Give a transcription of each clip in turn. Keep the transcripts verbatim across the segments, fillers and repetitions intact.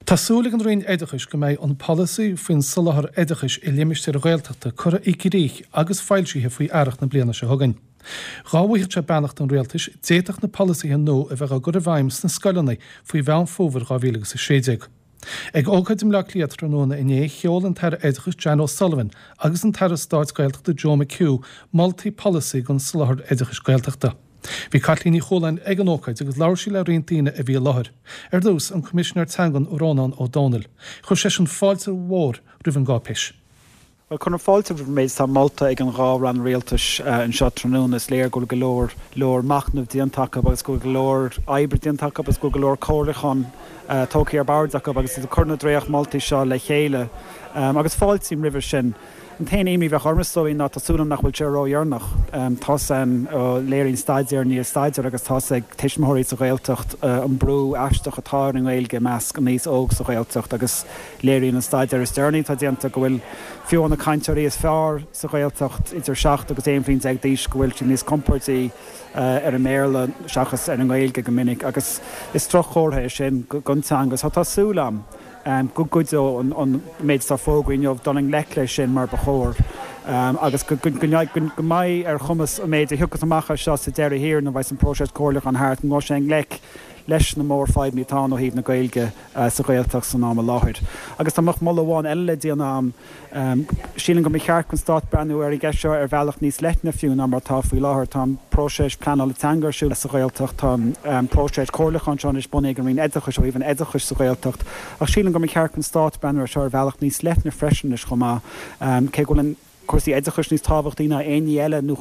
Tá súil ag an Roinn Oideachais go mbeidh an polasaí faoin soláthar oideachais i limistéir Ghaeltachta curtha i gcrích agus foilsithe faoi earrach na bliana seo chugainn. Dá bhfaigheadh sé beannacht an rialtais d'fhéadfadh na polasaithe nua a bheith á gcur i bhfeidhm sna scoileanna faoi Mheán Fómhair dhá mhíle agus a sé déag. Ag ócáid i mBleá Cliath tráthnóna inné sheol an tAire Oideachais Jan O'Sullivan agus an tAire Stáit Gaeltachta Joe McHugh moltaí polasaí don soláthar oideachais Gaeltachta. Bhí Caitlín Ní Chualáin ag an ócáid agus labhair sí le roinnt daoine a bhí i láthair. Ar dtús an Coimisinéir Teangan Rónán Ó Domhnaill. Chuir seisean fáilte mhór roimh an gcáipéis. Bhuel, cuirim fáilte roimh an méid atá molta ag an dhá rann rialtais anseo tráthnóna. Is léir go bhfuil go leor leor machnaimh déanta acu agus go bhfuil go leor oibre déanta acu agus go bhfuil go leor comhairliúchán tógtha ar bord acu agus iad ag cur na dréachtmholtaí seo le chéile. Agus fáiltím roimhe sin. An t-aon imní a bheadh orm is dóigh ná tá súil agam nach bhfuil sé ródheireanach. Tá's a'm, léiríonn staidéar i ndiaidh staidéir agus tá's ag tuismitheoirí sa Ghaeltacht an brú aisteach atá ar an nGaeilge i measc an aos óg sa Ghaeltacht agus léiríonn an staidéar is deireanaí atá déanta go bhfuil fiú na cainteoirí is fearr sa Ghaeltacht idir seacht agus aon bhliain déag d'aois go bhfuil siad níos compordaí ar an mBéarla seachas ar an nGaeilge go minic agus is droch-chomhartha é sin don teanga. So tá súil a'm. go gcuideoidh an méid atá fógraithe inniu dul i ngleic leis sin mar ba chóir agus go mbeidh ar chumas an méid a thiocfas amach as seo sa deireadh thiar nuair a bheas an próiseas comhairliúcháin thart, go ngabhfaidh sé i ngleic leis na mórfhadhbanna atá ann ó thaobh na Gaeilge sa Ghaeltacht san am i láthair. Agus dá mbeadh moladh amháin eile le déanamh a'm, Sílim go mba cheart don Stát breathnú ar an gceist seo ar bhealach níos leithne fiú ná mar atá faoi láthair. Tá an próiseas pleanála teanga ar siúl sa Ghaeltacht, tá an próiseas comhairliúcháin seo anois bunaithe ag an Roinn Oideachais ó thaobh an oideachais sa Ghaeltacht, ach sílim go mba cheart don Stát breathnú air seo ar bhealach níos leithne freisin anois chomh maith, cé go bhfuil an. cúrsaí oideachais níos tábhachtaí ná aon ní eile, nó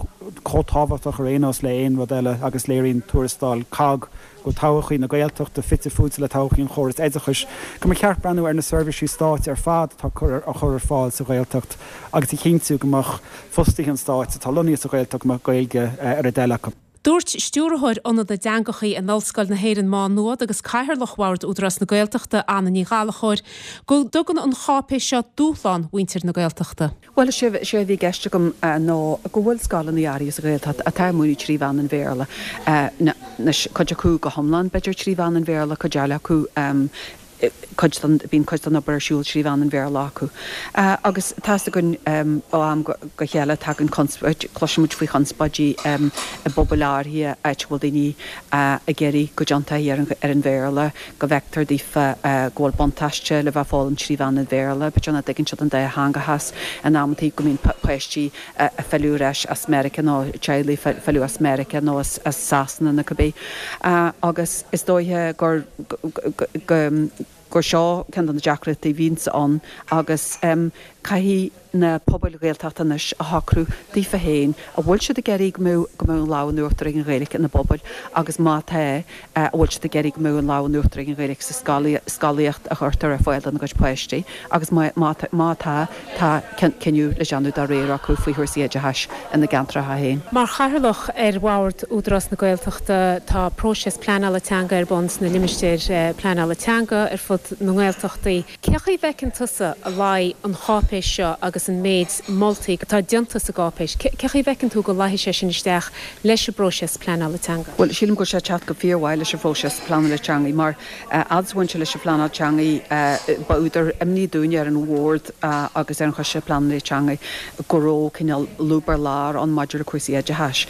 chomh tábhachtach ar aon nós le aon rud eile agus léiríonn tuarascáil COGG go bhfuil todhchaí na Gaeltachta fite fuaite le todhchaí an chórais oideachais, go mba cheart breathnú ar na seirbhísí stáit ar fad atá á chur ar fáil sa Ghaeltacht agus a chinntiú go mbeadh fostaithe an stáit atá lonnaithe sa Ghaeltacht go mbeadh Gaeilge ar a dtoil acu. Dúirt Stiúrthóir Ionad na dTeangacha in Ollscoil na hÉireann Má Nuad agus Cathaoirleach Bhord Údarás na Gaeltachta, Anna Ní Ghallchóir, go dtugann an cháipéis seo dúshlán mhuintir na Gaeltachta. Bhuel, is é a bhí i gceist agam ná go bhfuil scoileanna áirithe sa Ghaeltacht atá ag múineadh trí mheán an Bhéarla. Anois, cuid acu go hiomlán, b'fhéidir, trí mheán an Bhéarla, cuid eile acu, cuid den, bíonn cuid den obair ar siúl trí mheán an Bhéarla acu. Agus tá's againn ó am go chéile tagann conspóid, cloisimid faoi chonspóidí i bpobail áirithe, áit a bhfuil daoine ag iarraidh go dtéann taithí ar an Bhéarla, go bhfeictear daofa go bhfuil buntáiste le bheith ag foghlaim trí mheán an Bhéarla, b'fhéidir nach dtuigeann siad an dátheangachas in amantaí, go mbíonn páistí ag filleadh ar ais as Meiriceá nó teaghlaigh ag filleadh as Meiriceá nó as Sasana nó cibé. Agus is dóiche gur go gur seo ceann de na deacrachtaí a bhíonns ann agus caithfidh na pobail Ghaeltachta anois a shocrú daofa féin an bhfuil siad ag iarraidh go mbeadh go mbeadh an lámh in uachtar ag an Ghaeilge ina bpobail agus má tá an bhfuil siad ag iarraidh go mbeadh an lámh in uachtar ag an Ghaeilge sa scolaíocht a chuirtear ar fáil dona gcuid páistí agus má má tá tá cinneadh le déanamh dá réir acu faoi chúrsaí oideachais ina gceantracha féin. Mar Chathaoirleach ar Bhord Údarás na Gaeltachta, tá próiseas pleanála teanga ar bun sna limistéir pleanála teanga ar fud na nGaeltachtaí. Cé chaoi a bhfeiceann tusa a luífidh an cháipéis seo agus an méid moltaí atá déanta sa gcáipéis, cé chaoi a bhfeiceann tú go luífidh sé sin isteach leis an bpróiseas pleanála teanga? Bhuel, sílim go bhfuil sé ag teacht go fíormhaith leis an phróiseas pleanála teanga mar fhad is a bhain sé leis an phleanáil teanga, ba údar imní dúinne ar an Bhord agus ar an Choiste Pleanála Teanga go raibh cineál lúb ar lár ann maidir le cúrsaí oideachais.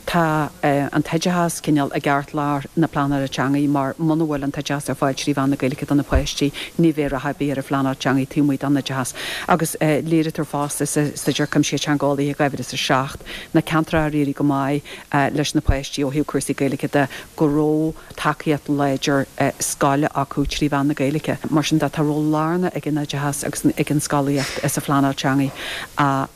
Tá an t-oideachas cineál i gceartlár na pleanála teanga mar muna bhfuil an t-oideachas ar fáil trí mheán na Gaeilge do na páistí, ní bheidh rath ar bith ar an phleanáil teanga taobh amuigh den oideachas. Agus léirítear fosta sa Staidéar Cuimsitheach Teangeolaíoch dhá mhíle is a seacht, na ceantracha ar éirigh go maith leis na páistí ó thaobh cúrsaí Gaeilge de, go raibh tacaíocht láidir scoile acu trí mheán na Gaeilge. Mar sin de, tá ról lárnach ag an oideachas agus ag an scolaíocht sa phleanáil teanga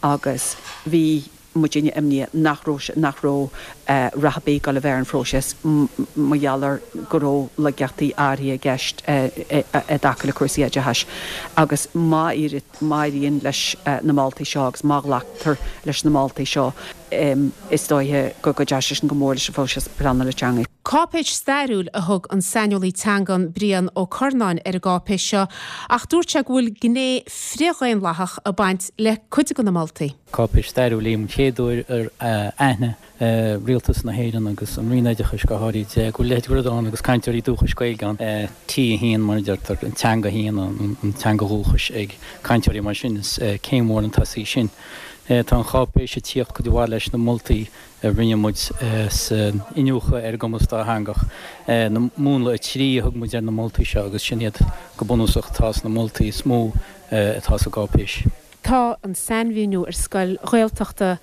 agus bhí muidinne imníoch nach raibh nach raibh rath ar bith ag dul a bheith ar an phróiseas mar gheall ar go raibh laigeachtaí áirithe i gceist i dtaca le cúrsaí oideachais agus má éiríonn leis na moltaí seo agus má ghlactar leis na moltaí seo is dóiche go gcuideoidh sé sin go mór leis an phróiseas pleanála teanga. Cáipéis stairiúil a thug an saineolaí teangan Brian Ó Curnáin ar an gcáipéis seo ach dúirt sé go bhfuil gné frithdhaonlathach ag baint le cuid de na moltaí. Cáipéis stairiúil í an chéad uair ar aithin rialtas na hÉireann agus an Roinn Oideachais go háirid go bhfuil leithéid rud ann agus cainteoirí dúchais Gaeilge ann T a haon mar a deirtear an teanga féin an teanga dhúchais ag cainteoirí mar sin is céim mhór chun tosaigh sin. Tá an cháipéis ag tíocht cuid mhaith leis na moltaí a rinne muid san iniúchadh ar an gcumas dátheangach. Na múnla a trí a thug muid ar na moltaí seo agus sin iad go bunúsach atá sna moltaí is mó atá sa gcáipéis. Tá an sainmhíniú ar scoil Ghaeltachta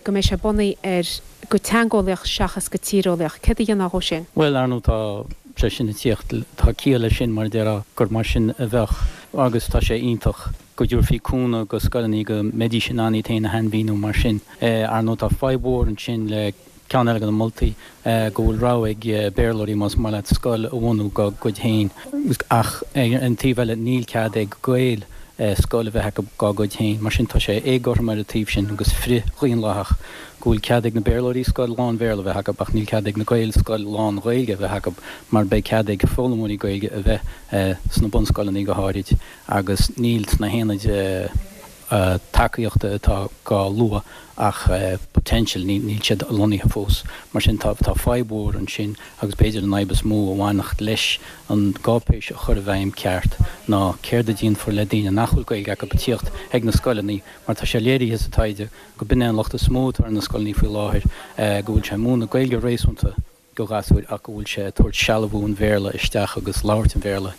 go mbeidh sé bunaithe ar go teangeolaíoch seachas go tíreolaíoch. Céard a dhéanfá dhó sin? Bhuel, ar ndóigh tá sé sin ag tíocht, tá ciall leis sin mar a déarfá gur mar sin a bheadh agus tá sé iontach go dtabharfaí cúnamh go scoileanna go mbeidís in ann iad féin a shainmhíniú mar sin. Ar ndóigh tá fadhb mhór ansin le ceann eile de na moltaí go bhfuil rogha ag Béarlóirí más maith leat scoil a bhunú dá gcuid féin ach ar an taobh eile níl cead ag Gaeil scoil a bheith acu dá gcuid féin. Mar sin tá sé éagothrom ar an taobh sin agus frith-dhaonlathach go bhfuil cead ag na Béarlóirí scoil lán-Bhéarla a bheith acu ach níl cead ag na Gaeil scoil lán-Ghaeilge a bheith acu mar beidh cead ag foghlaimeoirí Gaeilge a bheith sna bunscoileanna go háirid agus níl sna haonaid tacaíochta atá á lua ach potential níl siad lonnaithe fós. Mar sin tá tá fadhb mhór ansin agus b'fhéidir an fhadhb is mó a bhainfeadh leis an gcáipéis a chur i bhfeidhm ceart ná céard a déanfar le daoine nach bhfuil Gaeilge acu ag tíocht ag na scoileanna mar tá sé léirithe sa taighde go b'in é an locht is mó atá ar na scoileanna faoi láthair go bhfuil sé múineadh Gaeilge réasúnta go gasúir ach go bhfuil sé ag tabhairt sealbhú an Bhéarla isteach agus labhairt an Bhéarla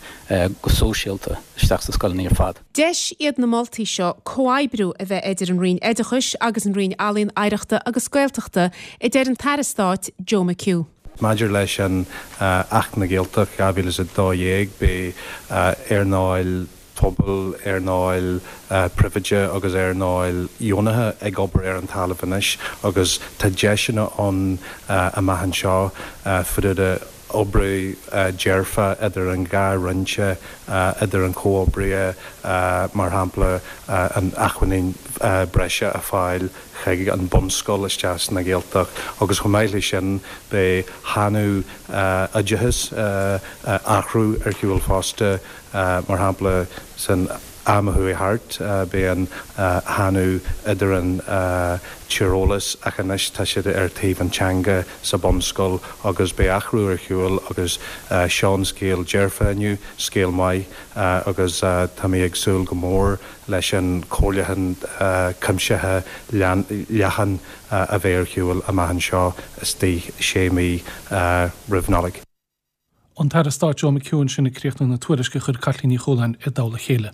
go sóisialta isteach sa scoileanna ar fad. Deis iad na moltaí seo comhoibriú a bheith idir an Roinn Oideachais agus an Roinn Ealaíon Oidhreachta agus Gaeltachta a deir an tAire Stáit Joe McHugh. Maidir leis an Acht na Gaeltacht dhá mhíle is a dó dhéag beidh earnáil pobail, earnáil príobháideach agus earnáil dheonaithe ag obair ar an talamh anois agus tá deiseanna ann amach anseo freisin oibriú dearfa idir an dhá roinn, idir an comhoibriú mar shampla an acmhainn breise a fháil chuig an bunscoil isteach sna Gaeltacht agus chomh maith leis sin beidh shainiú oideachais athrú ar shiúl fosta mar shampla san am a chuaigh thart bhí an shainiú idir an tíreolas ach anois tá siad ar taobh an teanga sa bunscoil agus beidh athrú ar shiúl agus seo an scéal dearfa inniu, scéal maith agus tá mé ag súil go mór leis an comhairliúchán cuimsithe leathan a bheidh ar shiúl amach anseo istigh sé mhí roimh Nollaig. An tAire Stáit Joe McHugh ansin ag críochnú na tuairisce a chuir Caitlín Ní Chualáin i dtoll a chéile.